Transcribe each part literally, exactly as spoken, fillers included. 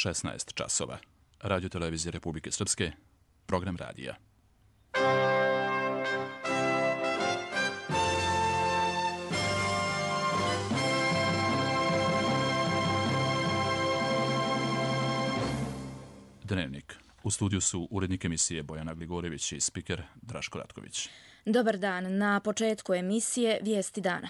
šesnaest časova. Radio televizije Republike Srpske, program radija. Dnevnik. U studiju su urednik emisije Bojana Gligorević i spiker Draško Ratković. Dobar dan. Na početku emisije Vijesti dana.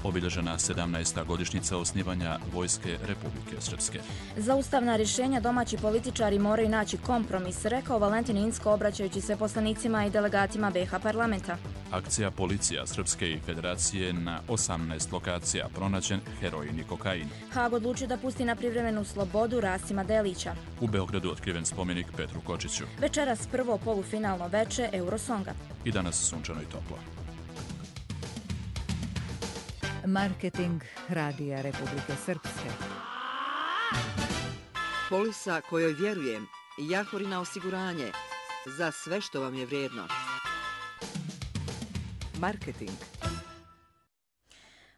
Obilježena sedamnaesta godišnjica osnivanja Vojske Republike Srpske. Za ustavna rješenja domaći političari moraju naći kompromis, rekao Valentin Incko obraćajući se poslanicima i delegatima B iH parlamenta. Akcija policija Srpske i Federacije na osamnaest lokacija pronađen heroin i kokain. Haag odlučio da pusti na privremenu slobodu Rasima Delića. U Beogradu otkriven spomenik Petru Kočiću. Večeras prvo polufinalno veče Eurosonga. I danas sunčano i toplo. Marketing Radija Republike Srpske. Polisa kojoj vjerujem, Jahorina osiguranje, za sve što vam je vrijedno. Marketing.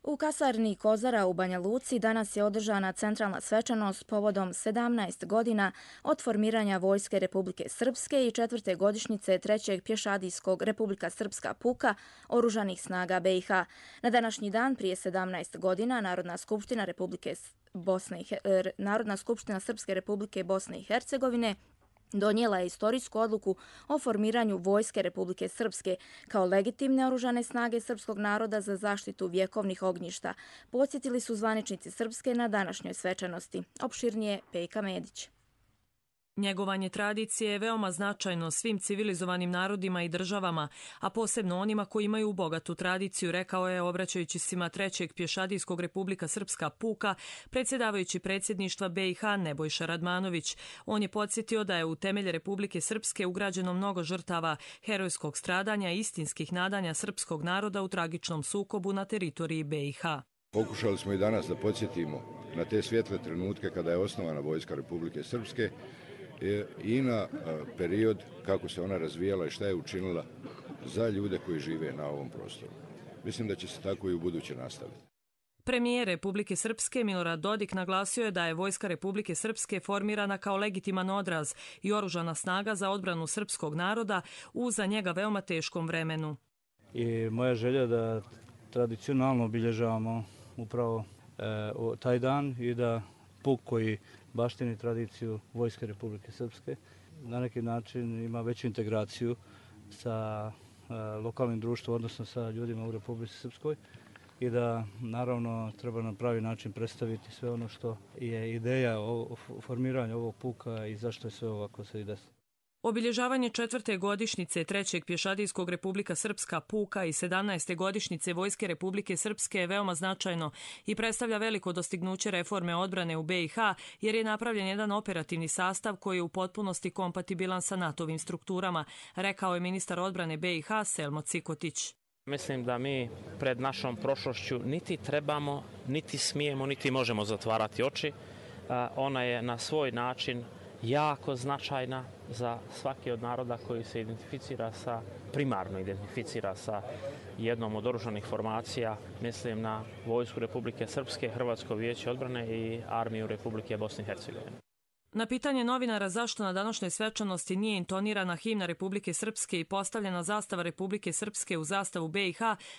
U kasarni Kozara u Banja Luci danas je održana centralna svečanost povodom sedamnaest godina od formiranja Vojske Republike Srpske i četvrte godišnjice trećeg pješadijskog Republika Srpska puka oružanih snaga B iH. Na današnji dan prije sedamnaest godina Narodna skupština Republike Bosne i Narodna skupština Srpske Republike Bosne i Hercegovine donijela je istorijsku odluku o formiranju Vojske Republike Srpske kao legitimne oružane snage srpskog naroda za zaštitu vjekovnih ognjišta, podsjetili su zvaničnici Srpske na današnjoj svečanosti. Opširnije Pejka Medić. Njegovanje tradicije je veoma značajno svim civilizovanim narodima i državama, a posebno onima koji imaju bogatu tradiciju, rekao je obraćajući svima trećeg pješadijskog Republika Srpska puka, predsjedavajući predsjedništva B iH Nebojša Radmanović. On je podsjetio da je u temelje Republike Srpske ugrađeno mnogo žrtava, herojskog stradanja i istinskih nadanja srpskog naroda u tragičnom sukobu na teritoriji B iH. Pokušali smo i danas da podsjetimo na te svjetle trenutke kada je osnovana Vojska Republike Srpske i na period kako se ona razvijala i šta je učinila za ljude koji žive na ovom prostoru. Mislim da će se tako i u buduće nastaviti. Premijer Republike Srpske Milorad Dodik naglasio je da je Vojska Republike Srpske formirana kao legitiman odraz i oružana snaga za odbranu srpskog naroda u za njega veoma teškom vremenu. I moja želja da tradicionalno obilježavamo upravo e, taj dan i da puk koji baštini tradiciju Vojske Republike Srpske na neki način ima veću integraciju sa e, lokalnim društvom, odnosno sa ljudima u Republici Srpskoj i da naravno treba na pravi način predstaviti sve ono što je ideja o, o formiranju ovog puka i zašto je sve ovako se i desilo. Obilježavanje četvrte godišnjice trećeg pješadijskog Republika Srpska puka i sedamnaeste godišnjice Vojske Republike Srpske je veoma značajno i predstavlja veliko dostignuće reforme odbrane u B iH jer je napravljen jedan operativni sastav koji je u potpunosti kompatibilan sa NATO-vim strukturama, rekao je ministar odbrane B iH Selmo Cikotić. Mislim da mi pred našom prošlošću niti trebamo, niti smijemo, niti možemo zatvarati oči. Ona je na svoj način jako značajna za svaki od naroda koji se identificira sa, primarno identificira sa jednom od oružanih formacija, mislim na Vojsku Republike Srpske, Hrvatsko vijeće odbrane i Armiju Republike Bosne i Hercegovine. Na pitanje novinara zašto na današnjoj svečanosti nije intonirana himna Republike Srpske i postavljena zastava Republike Srpske u zastavu B iH,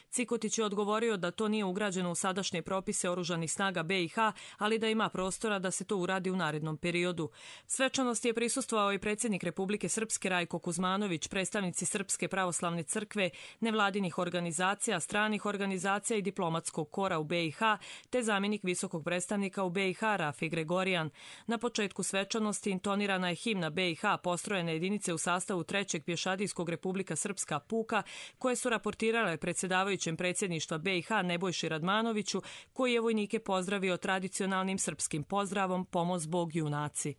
Cikotić je odgovorio da to nije ugrađeno u sadašnje propise oružanih snaga B iH, ali da ima prostora da se to uradi u narednom periodu. Svečanosti je prisustvovao i predsjednik Republike Srpske Rajko Kuzmanović, predstavnici Srpske pravoslavne crkve, nevladinih organizacija, stranih organizacija i diplomatskog kora u B iH, te zamjenik visokog predstavnika u B iH Rafi Gregorijan. Na početku svečanosti svečanosti intonirana je himna B iH postrojene jedinice u sastavu trećeg pješadijskog Republika Srpska puka koje su raportirale predsjedavajućem predsjedništva B iH Nebojši Radmanoviću koji je vojnike pozdravio tradicionalnim srpskim pozdravom Pomoz Bog junaci.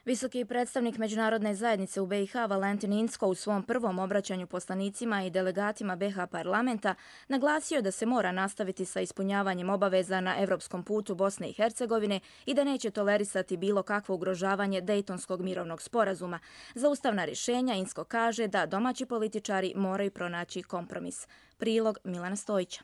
Visoki predstavnik međunarodne zajednice u B i H Valentin Incko u svom prvom obraćanju poslanicima i delegatima B i H parlamenta naglasio da se mora nastaviti sa ispunjavanjem obaveza na evropskom putu Bosne i Hercegovine i da neće tolerisati bilo kakvo ugrožavanje Dejtonskog mirovnog sporazuma. Za ustavna rješenja Incko kaže da domaći političari moraju pronaći kompromis. Prilog Milana Stojića.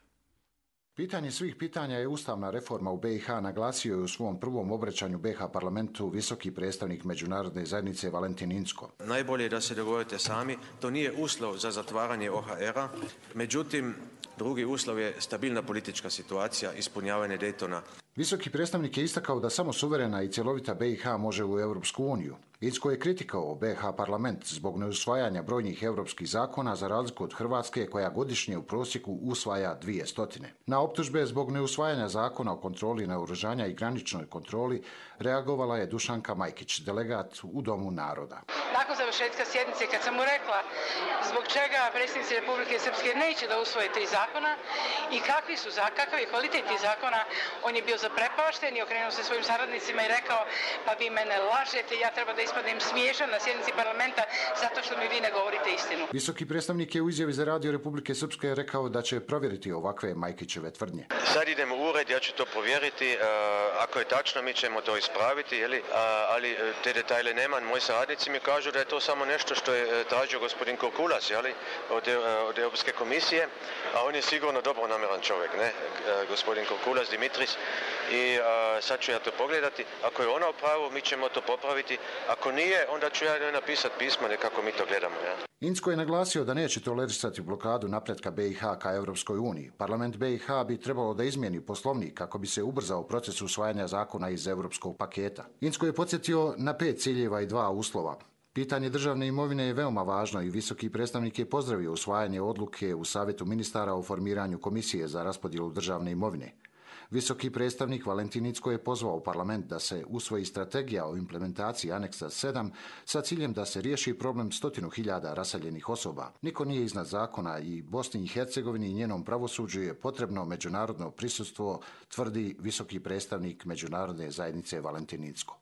Pitanje svih pitanja je ustavna reforma u B i H, naglasio je u svom prvom obraćanju B i H parlamentu visoki predstavnik međunarodne zajednice Valentin Incko. Najbolje je da se dogovorite sami, to nije uslov za zatvaranje O H R-a, međutim, drugi uslov je stabilna politička situacija, ispunjavanje Daytona. Visoki predstavnik je istakao da samo suverena i cjelovita B i H može u Europsku uniju. Incko je kritikao B i H parlament zbog neusvajanja brojnih europskih zakona za razliku od Hrvatske koja godišnje u prosjeku usvaja dvije stotine. Na optužbe zbog neusvajanja zakona o kontroli naoružanja i graničnoj kontroli reagovala je Dušanka Majkić, delegat u Domu naroda. Nakon završetka sjednice kad sam mu rekla zbog čega predsjednici Republike Srpske neće da usvoje tri zakona i kakvi su, kakav je kvalitet tih zakona, on je bio zaprepašten i okrenuo se svojim saradnicima i rekao pa vi mene lažete, ja treba da ispadnem smiješan na sjednici parlamenta zato što mi vi ne govorite istinu. Visoki predstavnik je u izjavi za radio Republike Srpske rekao da će provjeriti ovakve Majkićeve tvrdnje. Sad idemo u ured, ja ću to provjeriti, uh, ako je tačno mi ćemo to ispraviti, jeli? Uh, ali te detajle nema. Moji saradnici mi kažu da je to samo nešto što je tražio gospodin Kurkulas, jeli? Od, uh, od Europske komisije, a on je sigurno dobro namjeran čovjek, ne? Uh, gospodin Kurkulas Dimitris. I uh, sad ću ja to pogledati. Ako je ona u pravu, mi ćemo to popraviti. Ako nije, onda ću ja napisati pismo nekako mi to gledamo. Ja. Incko je naglasio da neće tolerisati blokadu napretka B i H ka Europskoj uniji. Parlament B i H bi trebalo da izmijeni poslovnik kako bi se ubrzao proces usvajanja zakona iz europskog paketa. Incko je podsjetio na pet ciljeva i dva uslova. Pitanje državne imovine je veoma važno i visoki predstavnik je pozdravio usvajanje odluke u Savjetu ministara o formiranju komisije za raspodjelu državne imovine. Visoki predstavnik Valentin Incko je pozvao parlament da se usvoji strategija o implementaciji aneksa sedam sa ciljem da se riješi problem stotinu hiljada raseljenih osoba. Niko nije iznad zakona i Bosni i Hercegovini i njenom pravosuđu je potrebno međunarodno prisustvo, tvrdi visoki predstavnik međunarodne zajednice Valentin Incko.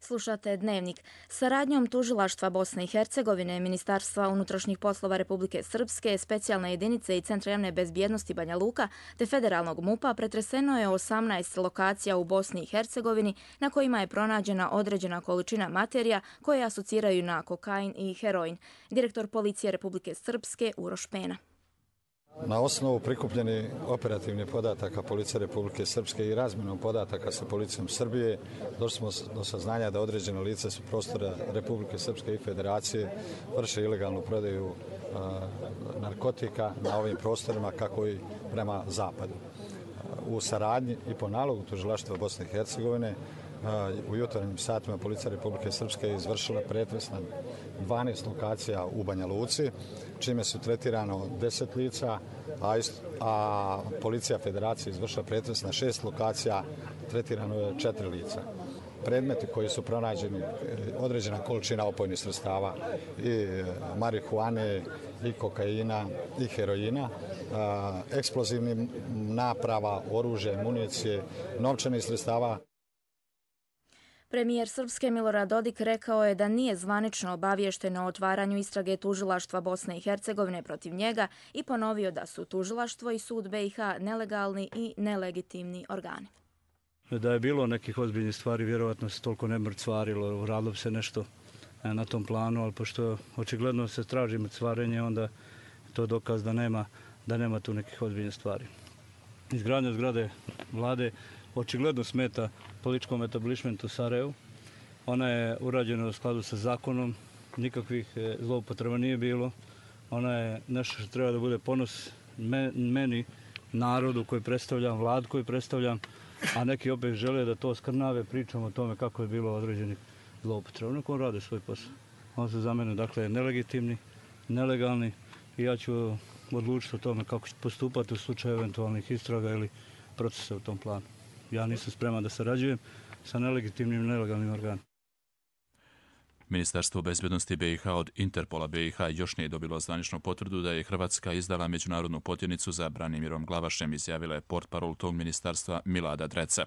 Slušate Dnevnik. Saradnjom Tužilaštva Bosne i Hercegovine, Ministarstva unutrašnjih poslova Republike Srpske, specijalne jedinice i Centra javne bezbjednosti Banja Luka te federalnog MUP-a pretreseno je osamnaest lokacija u Bosni i Hercegovini na kojima je pronađena određena količina materija koje asociraju na kokain i heroin. Direktor policije Republike Srpske Uroš Pena. Na osnovu prikupljenih operativnih podataka Policije Republike Srpske i razmjenom podataka sa Policijom Srbije došli smo do saznanja da određene lice su prostora Republike Srpske i Federacije vrše ilegalnu prodaju a, narkotika na ovim prostorima kako i prema zapadu. U saradnji i po nalogu Tužilaštva Bosne i Hercegovine u jutarnjim satima Policija Republike Srpske je izvršila pretres na dvanaest lokacija u Banja Luci, čime su tretirano deset lica, a, ist, a Policija Federacije izvršila pretres na šest lokacija, tretirano je četiri lica. Predmeti koji su pronađeni, određena količina opojnih sredstava i marihuane, i kokaina, i heroina, eksplozivnih naprava, oružje, municije, novčanih sredstava. Premijer Srpske Milorad Dodik rekao je da nije zvanično obavješteno o otvaranju istrage Tužilaštva Bosne i Hercegovine protiv njega i ponovio da su Tužilaštvo i sud B i H nelegalni i nelegitimni organi. Da je bilo nekih ozbiljnih stvari, vjerovatno se toliko ne mrcvarilo, radilo se nešto na tom planu, ali pošto očigledno se traži mrcvarenje, onda to je dokaz da nema, da nema tu nekih ozbiljnih stvari. Izgradnja zgrade vlade očigledno smeta političkom etablišmentu Sarajevu. Ona je urađena u skladu sa zakonom, nikakvih zloupotreba nije bilo. Ona je nešto što treba da bude ponos meni, narodu koji predstavljam, vlad koji predstavljam, a neki opet žele da to skrnave, pričamo o tome kako je bilo određenih zloupotreba. Neko rade svoj posao. On se za mene, dakle, nelegitimni, nelegalni i ja ću odlučiti o tome kako ću postupati u slučaju eventualnih istraga ili procesa u tom planu. Ja nisam spreman da sarađujem sa nelegitimnim i nelegalnim organima. Ministarstvo bezbjednosti B i H od Interpola B i H još nije dobilo zvaničnu potvrdu da je Hrvatska izdala međunarodnu potjernicu za Branimirom Glavašem, izjavila je portparol tog ministarstva Milada Dreca.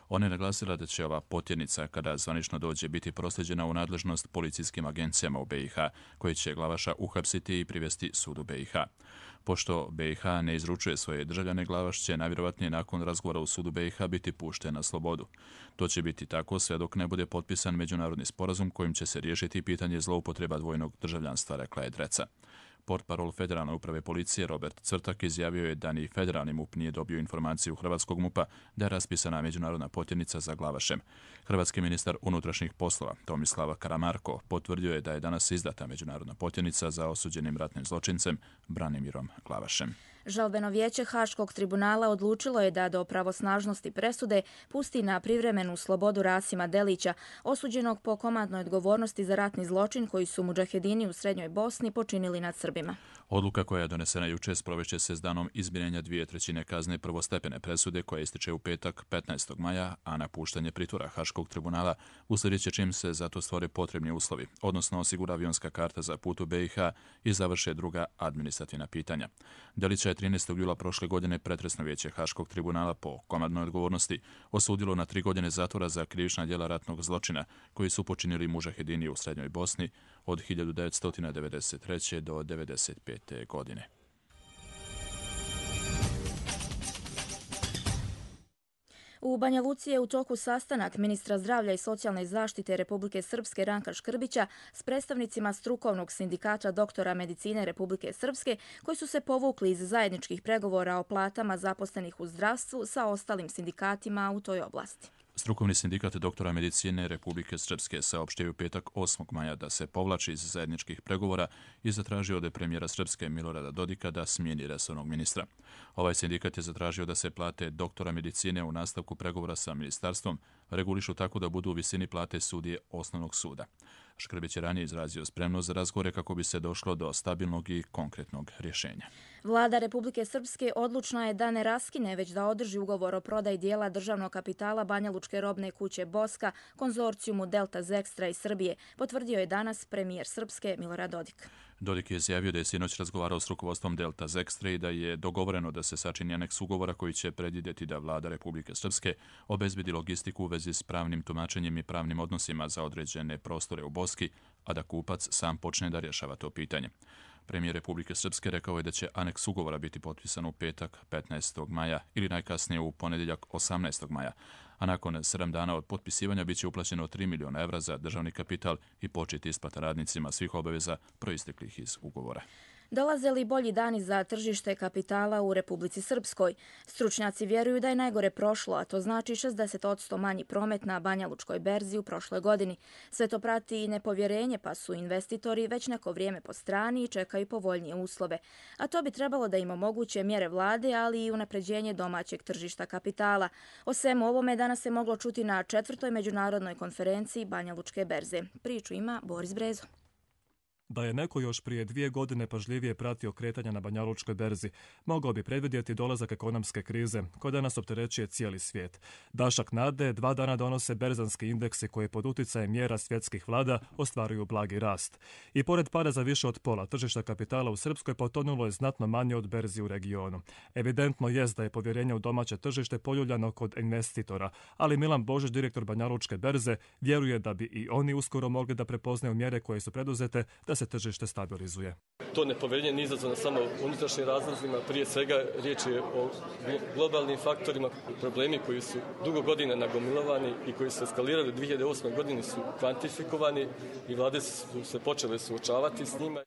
Ona je naglasila da će ova potjernica, kada zvanično dođe, biti proslijeđena u nadležnost policijskim agencijama u B i H, koji će Glavaša uhapsiti i privesti sudu B i H. Pošto B i H ne izručuje svoje državljane, Glavaš će najvjerovatnije nakon razgovora u sudu B i H biti pušten na slobodu. To će biti tako sve dok ne bude potpisan međunarodni sporazum kojim će se riješiti pitanje zloupotreba dvojnog državljanstva, rekla je Dreca. Portparol Federalne uprave policije Robert Cvrtak izjavio je da ni federalni M U P nije dobio informaciju Hrvatskog M U P-a da je raspisana međunarodna potjernica za Glavašem. Hrvatski ministar unutrašnjih poslova Tomislav Karamarko potvrdio je da je danas izdata međunarodna potjernica za osuđenim ratnim zločincem Branimirom Glavašem. Žalbeno vijeće Haškog tribunala odlučilo je da do pravosnažnosti presude pusti na privremenu slobodu Rasima Delića, osuđenog po komandnoj odgovornosti za ratni zločin koji su mudžahedini u Srednjoj Bosni počinili nad Srbima. Odluka koja je donesena jučer sprovešće se s danom izmirenja dvije trećine kazne prvostepene presude koja ističe u petak petnaestog maja, a napuštanje pritvora Haškog tribunala uslijedit će čim se za to stvore potrebni uslovi, odnosno osigura avionska karta za put u B i H i završe druga administrativna pitanja. Delića je trinaestog jula prošle godine pretresno vijeće Haškog tribunala po komandnoj odgovornosti osudilo na tri godine zatvora za krivična djela ratnog zločina koji su počinili mudžahedini u Srednjoj Bosni od hiljadu devetsto devedeset treće do devedeset pete godine. U Banja Luci je u toku sastanak ministra zdravlja i socijalne zaštite Republike Srpske Ranka Škrbića s predstavnicima strukovnog sindikata doktora medicine Republike Srpske koji su se povukli iz zajedničkih pregovora o platama zaposlenih u zdravstvu sa ostalim sindikatima u toj oblasti. Strukovni sindikat doktora medicine Republike Srpske saopštio je u petak osmog maja da se povlači iz zajedničkih pregovora i zatražio od premijera Srpske Milorada Dodika da smijeni resornog ministra. Ovaj sindikat je zatražio da se plate doktora medicine u nastavku pregovora sa ministarstvom regulišu tako da budu u visini plate sudije osnovnog suda. Škrbić je ranije izrazio spremnost za razgovore kako bi se došlo do stabilnog i konkretnog rješenja. Vlada Republike Srpske odlučna je da ne raskine, već da održi ugovor o prodaji dijela državnog kapitala Banja Lučke robne kuće Boska konzorcijumu Delta Zekstra iz Srbije, potvrdio je danas premijer Srpske Milorad Dodik. Dodik je izjavio da je sinoć razgovarao s rukovodstvom Delta Zekstra i da je dogovoreno da se sačini aneks ugovora koji će predvidjeti da Vlada Republike Srpske obezbedi logistiku u vezi s pravnim tumačenjem i pravnim odnosima za određene prostore u Boski, a da kupac sam počne da rješava to pitanje. Premijer Republike Srpske rekao je da će aneks ugovora biti potpisan u petak petnaestog maja ili najkasnije u ponedjeljak osamnaestog maja, a nakon sedam dana od potpisivanja biće uplaćeno tri miliona evra za državni kapital i početi isplata radnicima svih obaveza proisteklih iz ugovora. Dolaze li bolji dani za tržište kapitala u Republici Srpskoj? Stručnjaci vjeruju da je najgore prošlo, a to znači šezdeset posto manji promet na Banja Lučkoj berzi u prošloj godini. Sve to prati i nepovjerenje, pa su investitori već neko vrijeme po strani i čekaju povoljnije uslove. A to bi trebalo da im omoguće mjere vlade, ali i unapređenje domaćeg tržišta kapitala. O svemu ovome danas se moglo čuti na četvrtoj međunarodnoj konferenciji Banja Lučke berze. Priču ima Boris Brezo. Da je neko još prije dvije godine pažljivije pratio kretanja na Banja Lučkoj berzi, mogao bi predvidjeti dolazak ekonomske krize, koja danas opterećuje cijeli svijet. Dašak nade dva dana donose berzanski indeksi koji pod utjecajem mjera svjetskih vlada ostvaruju blagi rast. I pored pada za više od pola, tržišta kapitala u Srpskoj potonulo je znatno manje od berzi u regionu. Evidentno jest da je povjerenje u domaće tržište poljuljano kod investitora, ali Milan Božić, direktor Banja Lučke berze, vjeruje da bi i oni uskoro mogli da prepoznaju mjere koje su preduzete da se tržište stabilizuje. To nepovjerenje nije izazvano samo unutrašnjim razlozima, prije svega riječ je o globalnim faktorima, problemi koji su dugo godina nagomilovani i koji su eskalirali u dvije hiljade osme. godini su kvantifikovani i vlade su se počele suočavati s njima.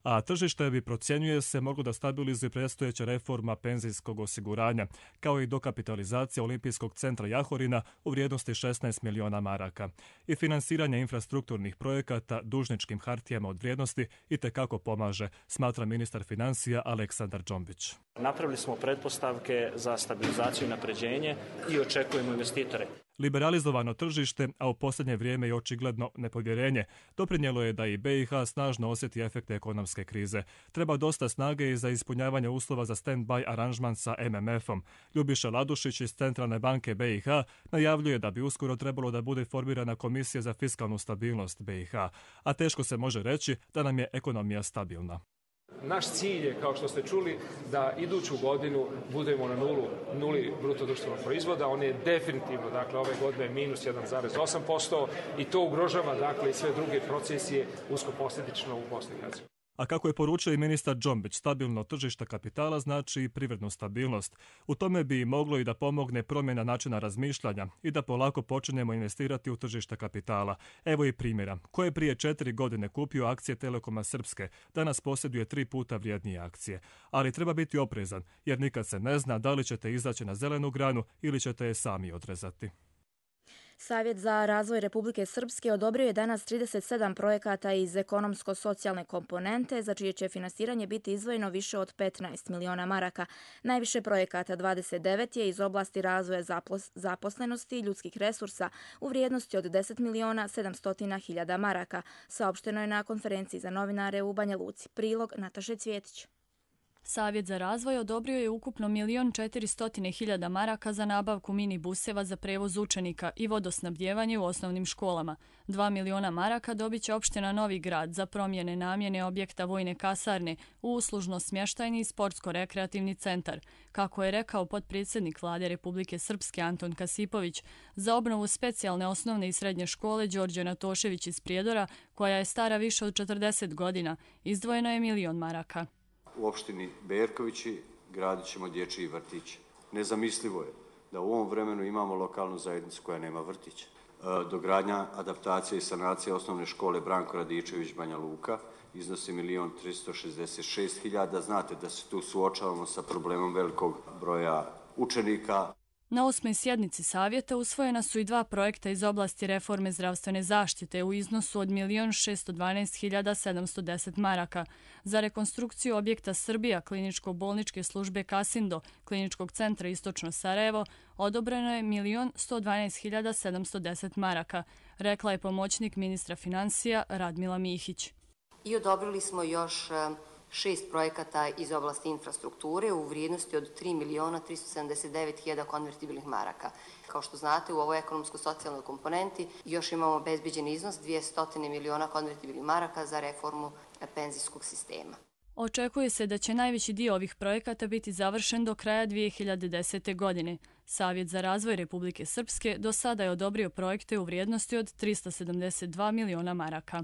A tržište bi, procjenjuje se, moglo da stabilizuje predstojeća reforma penzijskog osiguranja, kao i dokapitalizacija Olimpijskog centra Jahorina u vrijednosti šesnaest miliona maraka i finansiranje infrastrukturnih projekata dužničkim hartijama od vrijednosti itekako pomaže, smatra ministar financija Aleksandar Džombić. Napravili smo pretpostavke za stabilizaciju i napređenje i očekujemo investitore. Liberalizovano tržište, a u posljednje vrijeme i očigledno nepovjerenje, doprinijelo je da i B i H snažno osjeti efekte ekonomske krize. Treba dosta snage i za ispunjavanje uslova za stand-by aranžman sa M M F-om. Ljubiša Ladušić iz Centralne banke B i H najavljuje da bi uskoro trebalo da bude formirana komisija za fiskalnu stabilnost B i H, a teško se može reći da nam je ekonomija stabilna. Naš cilj je, kao što ste čuli, da iduću godinu budemo na nulu, nuli bruto društvenog proizvoda. On je definitivno, dakle, ove godine minus jedan zarez osam posto i to ugrožava, dakle, i sve druge procesije uskoposljedično u Bosni i Hercegovini. A kako je poručio i ministar Džombić, stabilno tržište kapitala znači i privrednu stabilnost. U tome bi moglo i da pomogne promjena načina razmišljanja i da polako počinjemo investirati u tržište kapitala. Evo i primjera. Ko je prije četiri godine kupio akcije Telekoma Srpske, danas posjeduje tri puta vrijednije akcije. Ali treba biti oprezan, jer nikad se ne zna da li ćete izaći na zelenu granu ili ćete je sami odrezati. Savjet za razvoj Republike Srpske odobrio je danas trideset sedam projekata iz ekonomsko-socijalne komponente, za čije će finansiranje biti izdvojeno više od petnaest miliona maraka. Najviše projekata, dvadeset devet, je iz oblasti razvoja zaposlenosti i ljudskih resursa u vrijednosti od deset miliona sedamsto hiljada maraka. Saopšteno je na konferenciji za novinare u Banja Luci. Prilog Nataše Cvjetić. Savjet za razvoj odobrio je ukupno milion četiristo hiljada maraka za nabavku mini buseva za prevoz učenika i vodosnabdjevanje u osnovnim školama. Dva miliona maraka dobit će opština Novi Grad za promjene namjene objekta vojne kasarne u uslužno-smještajni i sportsko-rekreativni centar. Kako je rekao potpredsjednik Vlade Republike Srpske Anton Kasipović, za obnovu specijalne osnovne i srednje škole Đorđe Natošević iz Prijedora, koja je stara više od četrdeset godina, izdvojeno je milion maraka. U opštini Berkovići gradit ćemo dječji vrtić. Nezamislivo je da u ovom vremenu imamo lokalnu zajednicu koja nema vrtića. Dogradnja, adaptacija i sanacija osnovne škole Branko Radičević Banja Luka iznosi milion tristo šezdeset šest hiljada. Znate da se tu suočavamo sa problemom velikog broja učenika. Na osmoj sjednici savjeta usvojena su i dva projekta iz oblasti reforme zdravstvene zaštite u iznosu od milion šesto dvanaest hiljada sedamsto deset maraka. Za rekonstrukciju objekta Srbija kliničko-bolničke službe Kasindo, kliničkog centra Istočno Sarajevo, odobreno je milion sto dvanaest hiljada sedamsto deset maraka, rekla je pomoćnik ministra financija Radmila Mihić. I odobrili smo još šest projekata iz oblasti infrastrukture u vrijednosti od tri miliona tristo sedamdeset devet hiljada konvertibilnih maraka. Kao što znate, u ovoj ekonomsko-socijalnoj komponenti još imamo obezbeđen iznos dvjesto miliona konvertibilnih maraka za reformu penzijskog sistema. Očekuje se da će najveći dio ovih projekata biti završen do kraja dvije hiljade desete. godine. Savjet za razvoj Republike Srpske do sada je odobrio projekte u vrijednosti od tristo sedamdeset dva miliona maraka.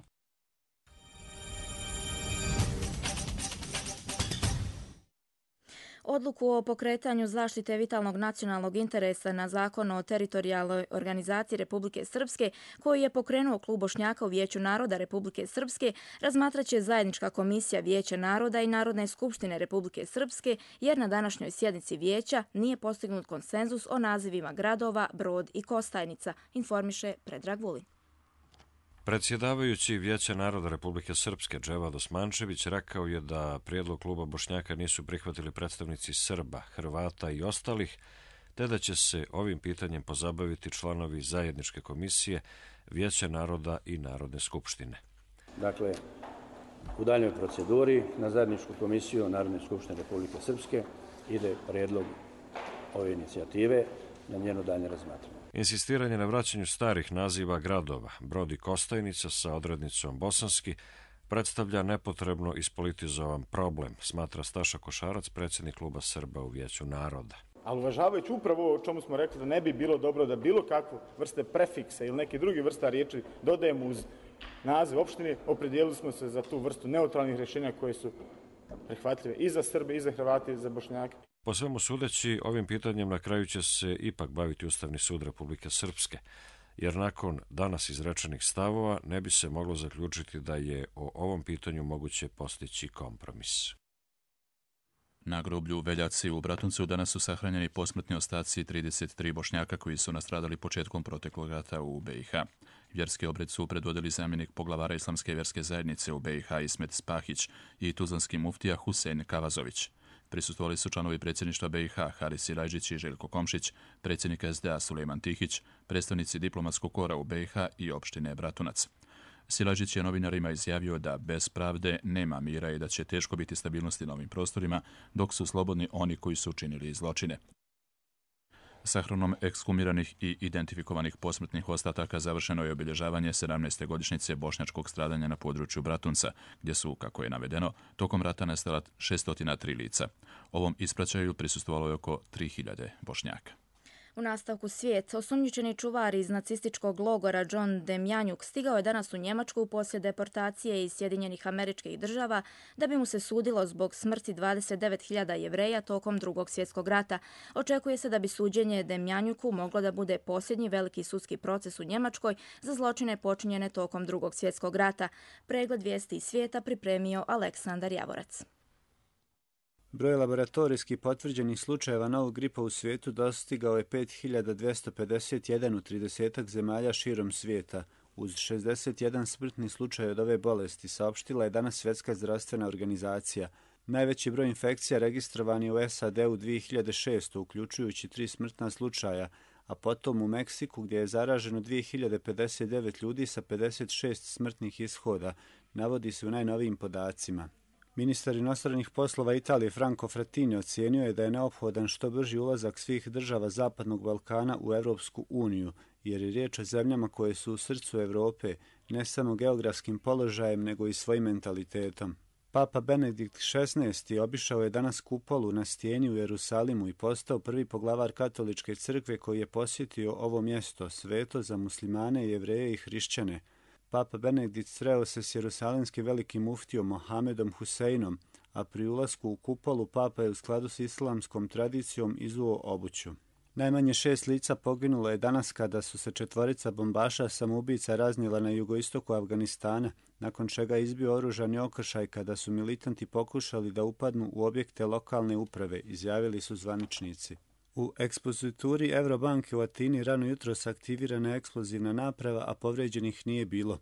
Odluku o pokretanju zaštite vitalnog nacionalnog interesa na Zakon o teritorijalnoj organizaciji Republike Srpske, koji je pokrenuo Klub Bošnjaka u Vijeću naroda Republike Srpske, razmatraće zajednička komisija Vijeća naroda i Narodne skupštine Republike Srpske, jer na današnjoj sjednici Vijeća nije postignut konsenzus o nazivima gradova Brod i Kostajnica, informiše Predrag Vulin. Predsjedavajući Vijeća naroda Republike Srpske Dževad Osmančević rekao je da prijedlog Kluba Bošnjaka nisu prihvatili predstavnici Srba, Hrvata i ostalih, te da će se ovim pitanjem pozabaviti članovi zajedničke komisije Vijeća naroda i Narodne skupštine. Dakle, u daljnjoj proceduri na zajedničku komisiju Narodne skupštine Republike Srpske ide prijedlog ove inicijative na njeno daljnje razmatranje. Insistiranje na vraćanju starih naziva gradova, Brod i Kostajnica sa odrednicom bosanski, predstavlja nepotrebno ispolitizovan problem, smatra Staša Košarac, predsjednik Kluba Srba u Vijeću naroda. Ali uvažavajući upravo o čemu smo rekli da ne bi bilo dobro da bilo kakvu vrste prefiksa ili neke druge vrsta riječi dodajemo uz naziv opštine, opredijelili smo se za tu vrstu neutralnih rješenja koje su prihvatljive i za Srbe, i za Hrvate, i za Bošnjake. Po svemu sudeći, ovim pitanjem na kraju će se ipak baviti Ustavni sud Republike Srpske, jer nakon danas izrečenih stavova ne bi se moglo zaključiti da je o ovom pitanju moguće postići kompromis. Na groblju Veljaci u Bratuncu danas su sahranjeni posmrtni ostaci trideset tri Bošnjaka koji su nastradali početkom proteklog rata u B i H. Vjerski obred su predvodili zamjenik poglavara Islamske vjerske zajednice u B i H Ismet Spahić i tuzlanski muftija Husein Kavazović. Prisustvovali su članovi predsjedništva B i H Haris Silajđić i Željko Komšić, predsjednik S D A Sulejman Tihić, predstavnici diplomatskog kora u B i H i opštine Bratunac. Silajđić je novinarima izjavio da bez pravde nema mira i da će teško biti stabilnosti na ovim prostorima, dok su slobodni oni koji su učinili zločine. Sahranom ekshumiranih i identifikovanih posmrtnih ostataka završeno je obilježavanje sedamnaeste godišnjice bošnjačkog stradanja na području Bratunca, gdje su, kako je navedeno, tokom rata nestala šesto tri lica. Ovom ispraćaju prisustvovalo je oko tri hiljade Bošnjaka. U nastavku svijet, osumnjičeni čuvar iz nacističkog logora John Demjanjuk stigao je danas u Njemačku poslije deportacije iz Sjedinjenih Američkih Država da bi mu se sudilo zbog smrti dvadeset devet hiljada Jevreja tokom Drugog svjetskog rata. Očekuje se da bi suđenje Demjanjuku moglo da bude posljednji veliki sudski proces u Njemačkoj za zločine počinjene tokom Drugog svjetskog rata. Pregled vijesti iz svijeta pripremio Aleksandar Javorac. Broj laboratorijski potvrđenih slučajeva novog gripa u svijetu dostigao je pet hiljada dvjesto pedeset jedan u tridesetak zemalja širom svijeta. Uz šezdeset jedan smrtni slučaj od ove bolesti, saopštila je danas Svjetska zdravstvena organizacija. Najveći broj infekcija registrovan je u S A D-u dvije hiljade šeste. uključujući tri smrtna slučaja, a potom u Meksiku gdje je zaraženo dvije hiljade pedeset devet ljudi sa pedeset šest smrtnih ishoda, navodi se u najnovijim podacima. Ministar inostranih poslova Italije Franco Frattini ocijenio je da je neophodan što brži ulazak svih država Zapadnog Balkana u Europsku uniju, jer je riječ o zemljama koje su u srcu Europe, ne samo geografskim položajem, nego i svojim mentalitetom. Papa Benedikt šesnaesti. obišao je danas kupolu na stijeni u Jerusalimu i postao prvi poglavar katoličke crkve koji je posjetio ovo mjesto, sveto za muslimane, jevreje i hrišćane. Papa Benedikt sreo se s jerusalimskim velikim muftijom Mohamedom Huseinom, a pri ulasku u kupolu papa je u skladu s islamskom tradicijom izuo obuću. Najmanje šest lica poginulo je danas kada su se četvorica bombaša samoubica raznijela na jugoistoku Afganistana, nakon čega je izbio oružani okršaj kada su militanti pokušali da upadnu u objekte lokalne uprave, izjavili su zvaničnici. U ekspozituri Eurobanke u Atini rano jutros aktivirana je eksplozivna naprava, a povređenih nije bilo.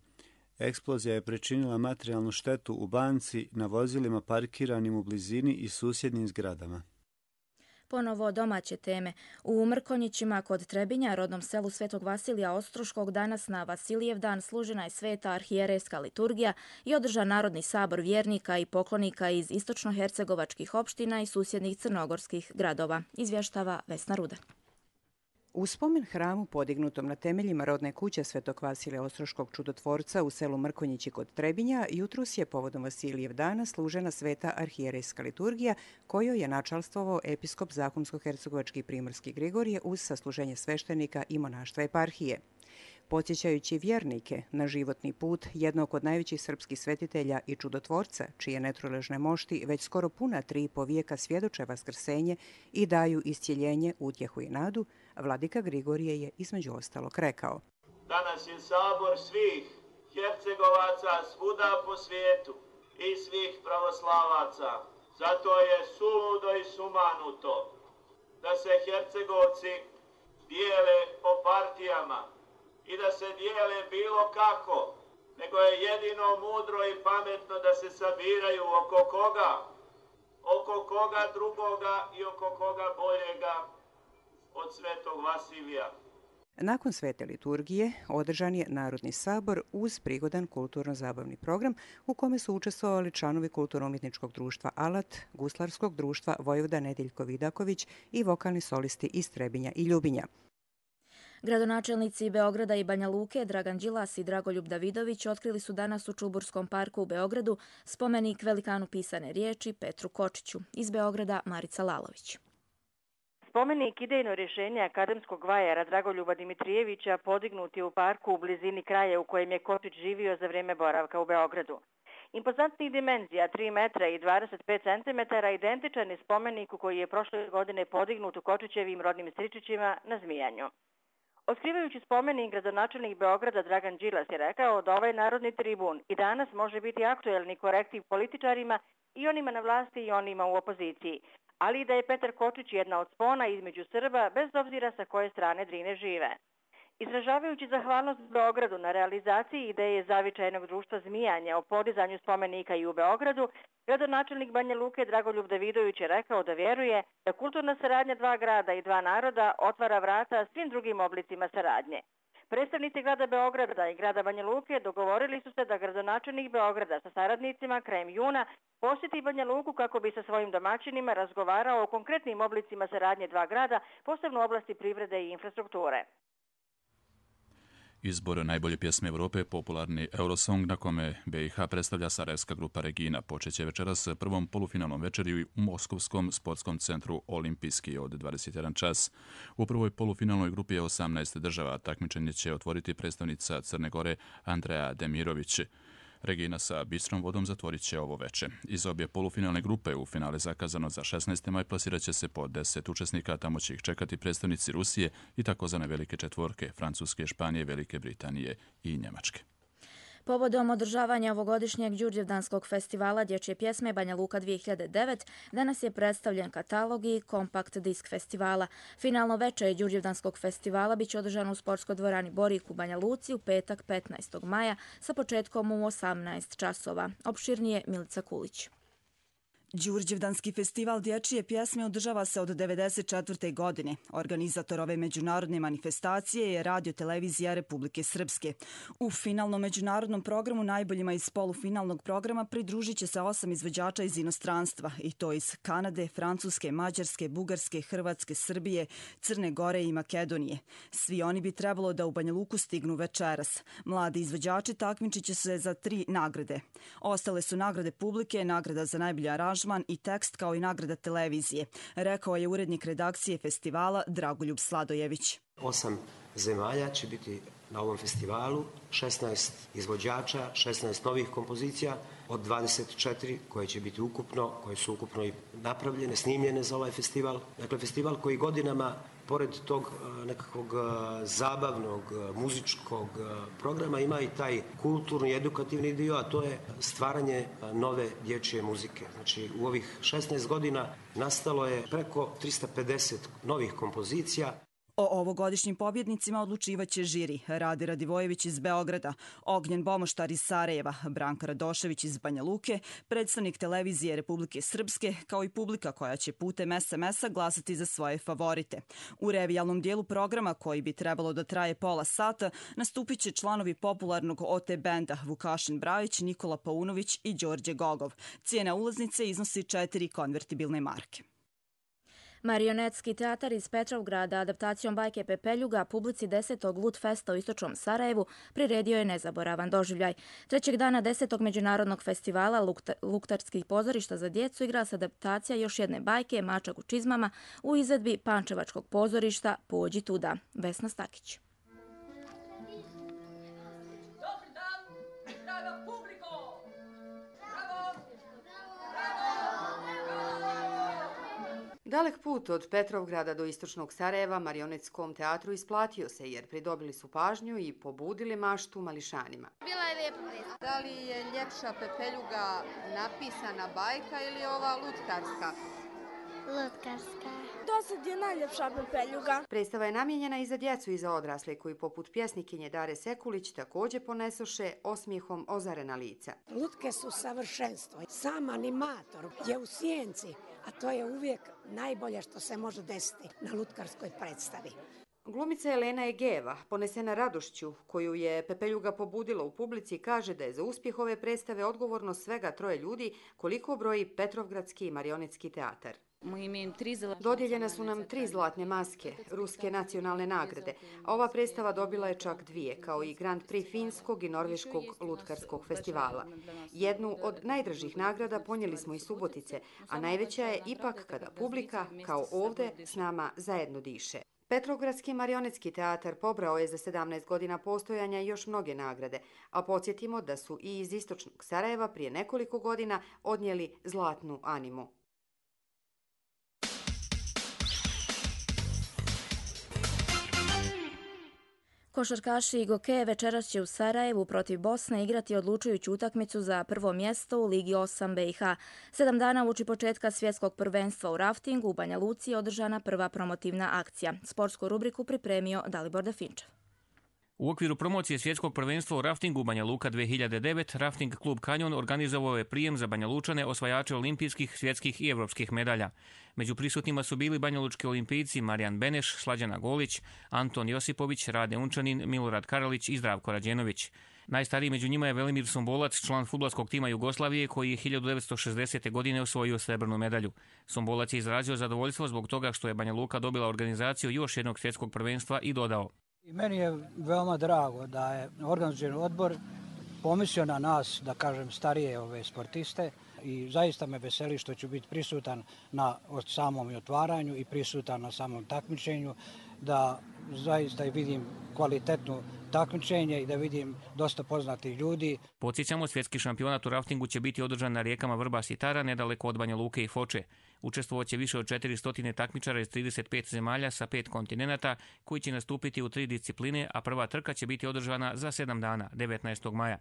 Eksplozija je pričinila materijalnu štetu u banci, na vozilima parkiranim u blizini i susjednim zgradama. Ponovo domaće teme. U Mrkonjićima kod Trebinja, rodnom selu Svetog Vasilija Ostroškog, danas na Vasilijev dan služena je sveta arhijerejska liturgija i održan Narodni sabor vjernika i poklonika iz istočnohercegovačkih opština i susjednih crnogorskih gradova, izvještava Vesna Ruda. U spomen hramu podignutom na temeljima rodne kuće Svetog Vasilija Ostroškog čudotvorca u selu Mrkonjići kod Trebinja, jutros je povodom Vasilijev dana služena sveta arhijerejska liturgija kojoj je načalstvovao episkop Zahumsko-hercegovački primorski Grigorije uz sasluženje sveštenika i monaštva eparhije. Podsjećajući vjernike na životni put jednog od najvećih srpskih svetitelja i čudotvorca, čije netruležne mošti već skoro puna tri i po vijeka svjedoče vaskrsenje i daju iscjeljenje, utjehu i nadu, vladika Grigorije je između ostalog rekao: Danas je sabor svih Hercegovaca svuda po svijetu i svih pravoslavaca. Zato je suludo i sumanuto da se Hercegovci dijele po partijama i da se dijele bilo kako, nego je jedino mudro i pametno da se sabiraju oko koga, oko koga drugoga i oko koga boljega od Svetog Vasilija. Nakon svete liturgije održan je Narodni sabor uz prigodan kulturno-zabavni program u kome su učestvovali članovi Kulturno-umjetničkog društva Alat, Guslarskog društva Vojvoda Nedeljko Vidaković i vokalni solisti iz Trebinja i Ljubinja. Gradonačelnici Beograda i Banja Luke Dragan Đilas i Dragoljub Davidović otkrili su danas u Čuburskom parku u Beogradu spomenik velikanu pisane riječi Petru Kočiću. Iz Beograda Marica Lalović. Spomenik idejno rješenje akademskog vajara Dragoljuba Dimitrijevića podignut je u parku u blizini kraja u kojem je Kočić živio za vrijeme boravka u Beogradu. Impozantnih dimenzija tri metra i dvadeset pet centimetara identičan je spomeniku koji je prošle godine podignut u Kočićevim rodnim Stričićima na Zmijanju. Otkrivajući spomenik, gradonačelnik Beograda Dragan Đilas je rekao da ovaj narodni tribun i danas može biti aktuelni korektiv političarima i onima na vlasti i onima u opoziciji, ali i da je Petar Kočić jedna od spona između Srba bez obzira sa koje strane Drine žive. Izražavajući zahvalnost Beogradu na realizaciji ideje zavičajnog društva Zmijanja o podizanju spomenika i u Beogradu, gradonačelnik Banja Luke Dragoljub Davidović je rekao da vjeruje da kulturna saradnja dva grada i dva naroda otvara vrata svim drugim oblicima saradnje. Predstavnici grada Beograda i grada Banja Luke dogovorili su se da gradonačelnik Beograda sa saradnicima krajem juna posjeti Banja Luku kako bi sa svojim domaćinima razgovarao o konkretnim oblicima saradnje dva grada, posebno u oblasti privrede i infrastrukture. Izbor najbolje pjesme Europe, popularni Eurosong, na kome B i H predstavlja sarajevska grupa Regina, počeće večeras prvom polufinalnom večeri u Moskovskom sportskom centru Olimpijski od dvadeset jedan čas. U prvoj polufinalnoj grupi je osamnaest država. Takmičenje će otvoriti predstavnica Crne Gore Andreja Demirović. Regina sa Bistrom vodom zatvorit će ovo veče. Iz obje polufinalne grupe u finale zakazano za šesnaesti maj plasirat će se po deset učesnika, tamo će ih čekati predstavnici Rusije i takozvane velike četvorke Francuske, Španije, Velike Britanije i Njemačke. Povodom održavanja ovogodišnjeg Đurđevdanskog festivala dječje pjesme Banja Luka dvije hiljade devet danas je predstavljen katalog i kompakt disk festivala. Finalno večer Đurđevdanskog festivala biće održano u sportskoj dvorani Borik u Banja Luci u petak petnaestog maja sa početkom u osamnaest časova. Opširnije Milica Kulić. Đurđevdanski festival dječje pjesme održava se od devedeset četvrte. godine. Organizator ove međunarodne manifestacije je Radio Televizija Republike Srpske. U finalnom međunarodnom programu najboljima iz polufinalnog programa pridružit će se osam izvođača iz inostranstva, i to iz Kanade, Francuske, Mađarske, Bugarske, Hrvatske, Srbije, Crne Gore i Makedonije. Svi oni bi trebalo da u Banja Luku stignu večeras. Mladi izvođači takmičit će se za tri nagrade. Ostale su nagrade publike, nagrada za najbolji aranžman i tekst kao i nagrada televizije, rekao je urednik redakcije festivala Dragoljub Sladojević. Osam zemalja će biti na ovom festivalu, šesnaest izvođača, šesnaest novih kompozicija od dvadeset četiri koje će biti ukupno, koje su ukupno i napravljene, snimljene za ovaj festival. Dakle, festival koji godinama, pored tog nekakvog zabavnog, muzičkog programa, ima i taj kulturni, edukativni dio, a to je stvaranje nove dječje muzike. Znači, u ovih šesnaest godina nastalo je preko trista pedeset novih kompozicija. O ovogodišnjim pobjednicima odlučivaće žiri Rade Radivojević iz Beograda, Ognjen Bomoštar iz Sarajeva, Branka Radošević iz Banja Luke, predstavnik Televizije Republike Srpske, kao i publika koja će putem es em es-a glasati za svoje favorite. U revijalnom dijelu programa, koji bi trebalo da traje pola sata, nastupit će članovi popularnog o te benda Vukašin Brajić, Nikola Paunović i Đorđe Gogov. Cijena ulaznice iznosi četiri konvertibilne marke. Marionetski teatar iz Petrovgrada adaptacijom bajke Pepeljuga publici desetog Lut Festa u istočnom Sarajevu priredio je nezaboravan doživljaj. Trećeg dana desetog međunarodnog festivala luktarskih pozorišta za djecu igra se adaptacija još jedne bajke Mačak u čizmama u izvedbi Pančevačkog pozorišta Pođi tuda. Vesna Stakić. Dalek put od Petrovgrada do istočnog Sarajeva Marionetskom teatru isplatio se jer pridobili su pažnju i pobudili maštu mališanima. Bila je lijepa. Da li je ljepša Pepeljuga napisana bajka ili ova lutkarska? Lutkarska. Do sad je najljepša Pepeljuga. Predstava je namijenjena i za djecu i za odrasle koji poput pjesnikinje Dare Sekulić također ponesoše osmijehom ozarena lica. Lutke su savršenstvo. Sam animator je u sjenci, a to je uvijek najbolje što se može desiti na lutkarskoj predstavi. Glumica Elena Egeva, ponesena radošću koju je Pepeljuga pobudila u publici, kaže da je za uspjeh ove predstave odgovorno svega troje ljudi koliko broji Petrovgradski marionetski teatar. Dodijeljene su nam tri zlatne maske, ruske nacionalne nagrade, a ova predstava dobila je čak dvije, kao i Grand Prix finskog i norveškog lutkarskog festivala. Jednu od najdražih nagrada ponijeli smo iz Subotice, a najveća je ipak kada publika, kao ovdje, s nama zajedno diše. Petrovgradski marionetski teatar pobrao je za sedamnaest godina postojanja još mnoge nagrade, a podsjetimo da su i iz istočnog Sarajeva prije nekoliko godina odnijeli zlatnu animu. Košarkaši Goke večeras će u Sarajevu protiv Bosne igrati odlučujuću utakmicu za prvo mjesto u Ligi osam B i H. Sedam dana uoči početka svjetskog prvenstva u raftingu u Banja Luci je održana prva promotivna akcija. Sportsku rubriku pripremio Dalibor Definčev. U okviru promocije svjetskog prvenstva u raftingu Banja Luka dve hiljade devet, Rafting klub Kanjon organizovao je prijem za Banja Lučane osvajače olimpijskih, svjetskih i evropskih medalja. Među prisutnima su bili banjalučki olimpijci Marijan Beneš, Slađana Golić, Anton Josipović, Rade Unčanin, Milorad Karalić i Zdravko Rađenović. Najstariji među njima je Velimir Sombolac, član fudbalskog tima Jugoslavije koji je hiljadu devetsto šezdesete. godine osvojio srebrnu medalju. Sombolac je izrazio zadovoljstvo zbog toga što je Banja Luka dobila organizaciju još jednog svjetskog prvenstva i dodao: I meni je veoma drago da je organizacioni odbor pomislio na nas, da kažem, starije ove sportiste, i zaista me veseli što ću biti prisutan na samom otvaranju i prisutan na samom takmičenju, da zaista vidim kvalitetno takmičenje i da vidim dosta poznatih ljudi. Podsjećamo, svjetski šampionat u raftingu će biti održan na rijekama Vrbas i Tara, nedaleko od Banja Luke i Foče. Učestvovat će više od četiristo takmičara iz trideset pet zemalja sa pet kontinenata koji će nastupiti u tri discipline, a prva trka će biti održana za sedam dana, devetnaestog maja.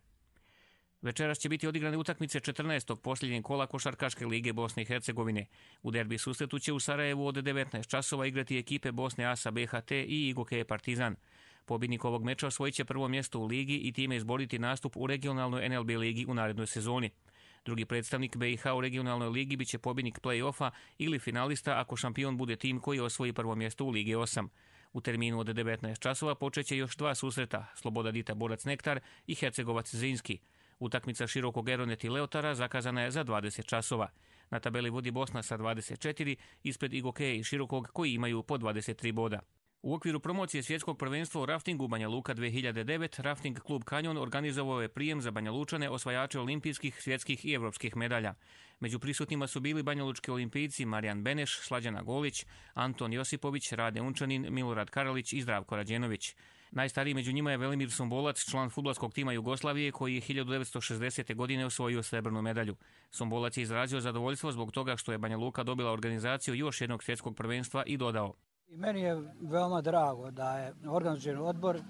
Večeras će biti odigrane utakmice četrnaestog posljednjeg kola Košarkaške lige Bosne i Hercegovine. U derbi susretu će u Sarajevu od devetnaest časova igrati ekipe Bosne A S A B H T i Igoke Partizan. Pobjednik ovog meča osvojit će prvo mjesto u ligi i time izboriti nastup u regionalnoj N L B ligi u narednoj sezoni. Drugi predstavnik B i H u regionalnoj ligi biće pobjednik play-offa ili finalista ako šampion bude tim koji osvoji prvo mjesto u Ligi osam. U terminu od devetnaest časova počeće još dva susreta, Sloboda Dita Borac Nektar i Hercegovac Zrinski. Utakmica Širokog Eronet i Leotara zakazana je za dvadeset časova. Na tabeli vodi Bosna sa dvadeset četiri, ispred Igokeje i Širokog koji imaju po dvadeset tri boda. U okviru promocije svjetskog prvenstva u raftingu Banja Luka dve hiljade devet, Rafting klub Kanjon organizovao je prijem za Banja Lučane osvajače olimpijskih, svjetskih i evropskih medalja. Među prisutnima su bili banjalučki olimpijci Marijan Beneš, Slađana Golić, Anton Josipović, Rade Unčanin, Milorad Karalić i Zdravko Rađenović. Najstariji među njima je Velimir Sombolac, član fudbalskog tima Jugoslavije koji je hiljadu devetsto šezdesete. godine osvojio srebrnu medalju. Sombolac je izrazio zadovoljstvo zbog toga što je Banja Luka dobila organizaciju još jednog svjetskog prvenstva i dodao: I meni je veoma drago da je organizacioni odbor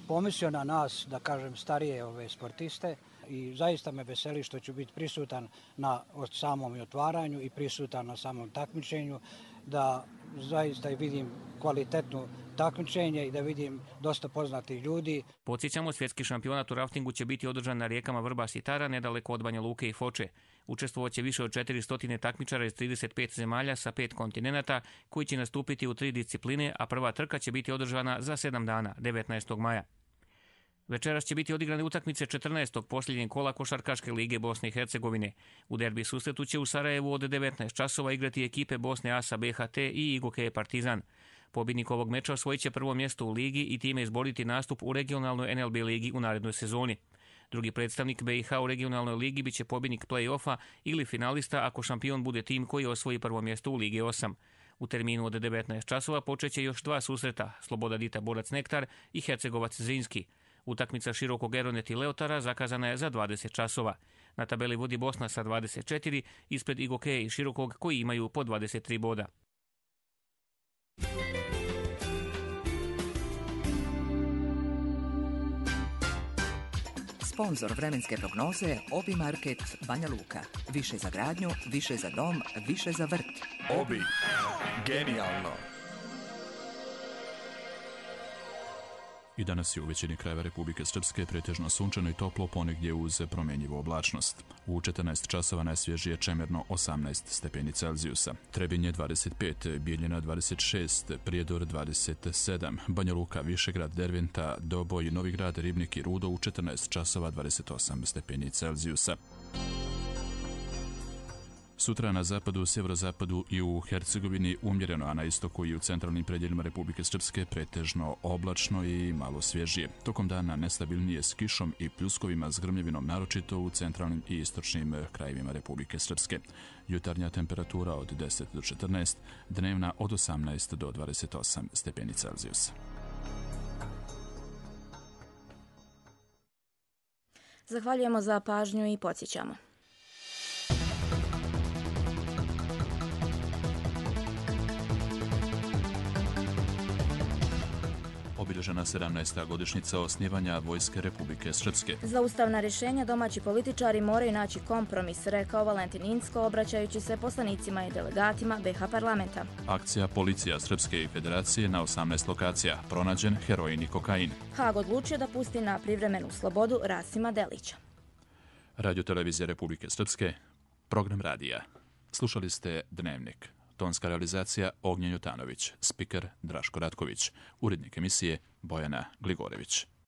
pomislio na nas, da kažem, starije ove sportiste, i zaista me veseli što ću biti prisutan na samom otvaranju i prisutan na samom takmičenju, da zaista vidim kvalitetno takmičenje i da vidim dosta poznatih ljudi. Podsjećamo, svjetski šampionat u raftingu će biti održan na rijekama Vrbas i Tara, nedaleko od Banja Luke i Foče. Učestvovat će više od četiristo takmičara iz trideset pet zemalja sa pet kontinenata koji će nastupiti u tri discipline, a prva trka će biti održana za sedam dana, devetnaestog maja. Večeras će biti odigrane utakmice četrnaestog posljednjeg kola Košarkaške lige Bosne i Hercegovine. U derbi susretu će u Sarajevu od devetnaest časova igrati ekipe Bosne A S A B H T i Igoke Partizan. Pobjednik ovog meča osvojit će prvo mjesto u ligi i time izboriti nastup u regionalnoj N L B ligi u narednoj sezoni. Drugi predstavnik B i H u regionalnoj ligi biće pobjednik play-offa ili finalista ako šampion bude tim koji osvoji prvo mjesto u Ligi osam. U terminu od devetnaest časova počeće još dva susreta, Sloboda Dita Borac Nektar i Hercegovac Zrinski. Utakmica Širokog Eronet i Leotara zakazana je za dvadeset časova. Na tabeli vodi Bosna sa dvadeset četiri, ispred Igokeje i Širokog koji imaju po dvadeset tri boda. Sponzor vremenske prognoze Obi Market Banja Luka. Više za gradnju, više za dom, više za vrt. Obi. Genijalno. I danas je u većini krajeva Republike Srpske pretežno sunčano i toplo, ponegdje uz promjenjivu oblačnost. U četrnaest časova najsvježije Čemerno osamnaest stepeni Celzijusa, Trebinje dvadeset pet, Bijeljina dvadeset šest, Prijedor dvadeset sedam, Banja Luka, Višegrad, Derventa, Doboj, Novigrad, Ribnik i Rudo u četrnaest časova dvadeset osam stepeni Celzijusa. Sutra na zapadu, sjeverozapadu i u Hercegovini umjereno, a na istoku i u centralnim predjelima Republike Srpske pretežno oblačno i malo svježije. Tokom dana nestabilnije s kišom i pljuskovima s grmljevinom, naročito u centralnim i istočnim krajevima Republike Srpske. Jutarnja temperatura od deset do četrnaest, dnevna od osamnaest do dvadeset osam stepeni Celzijusa. Zahvaljujemo za pažnju i podsjećamo. obilježena sedamnaesta godišnjica osnivanja Vojske Republike Srpske. Za ustavna rješenja domaći političari moraju naći kompromis, rekao Valentin Incko, obraćajući se poslanicima i delegatima be ha parlamenta. Akcija Policija Srpske i Federacije na osamnaest lokacija. Pronađen heroin i kokain. Haag odlučio da pusti na privremenu slobodu Rasima Delića. Radio Televizija Republike Srpske, program radija. Slušali ste Dnevnik. Tonska realizacija Ognjen Jutanović, spiker Draško Ratković, urednik emisije Bojana Gligorević.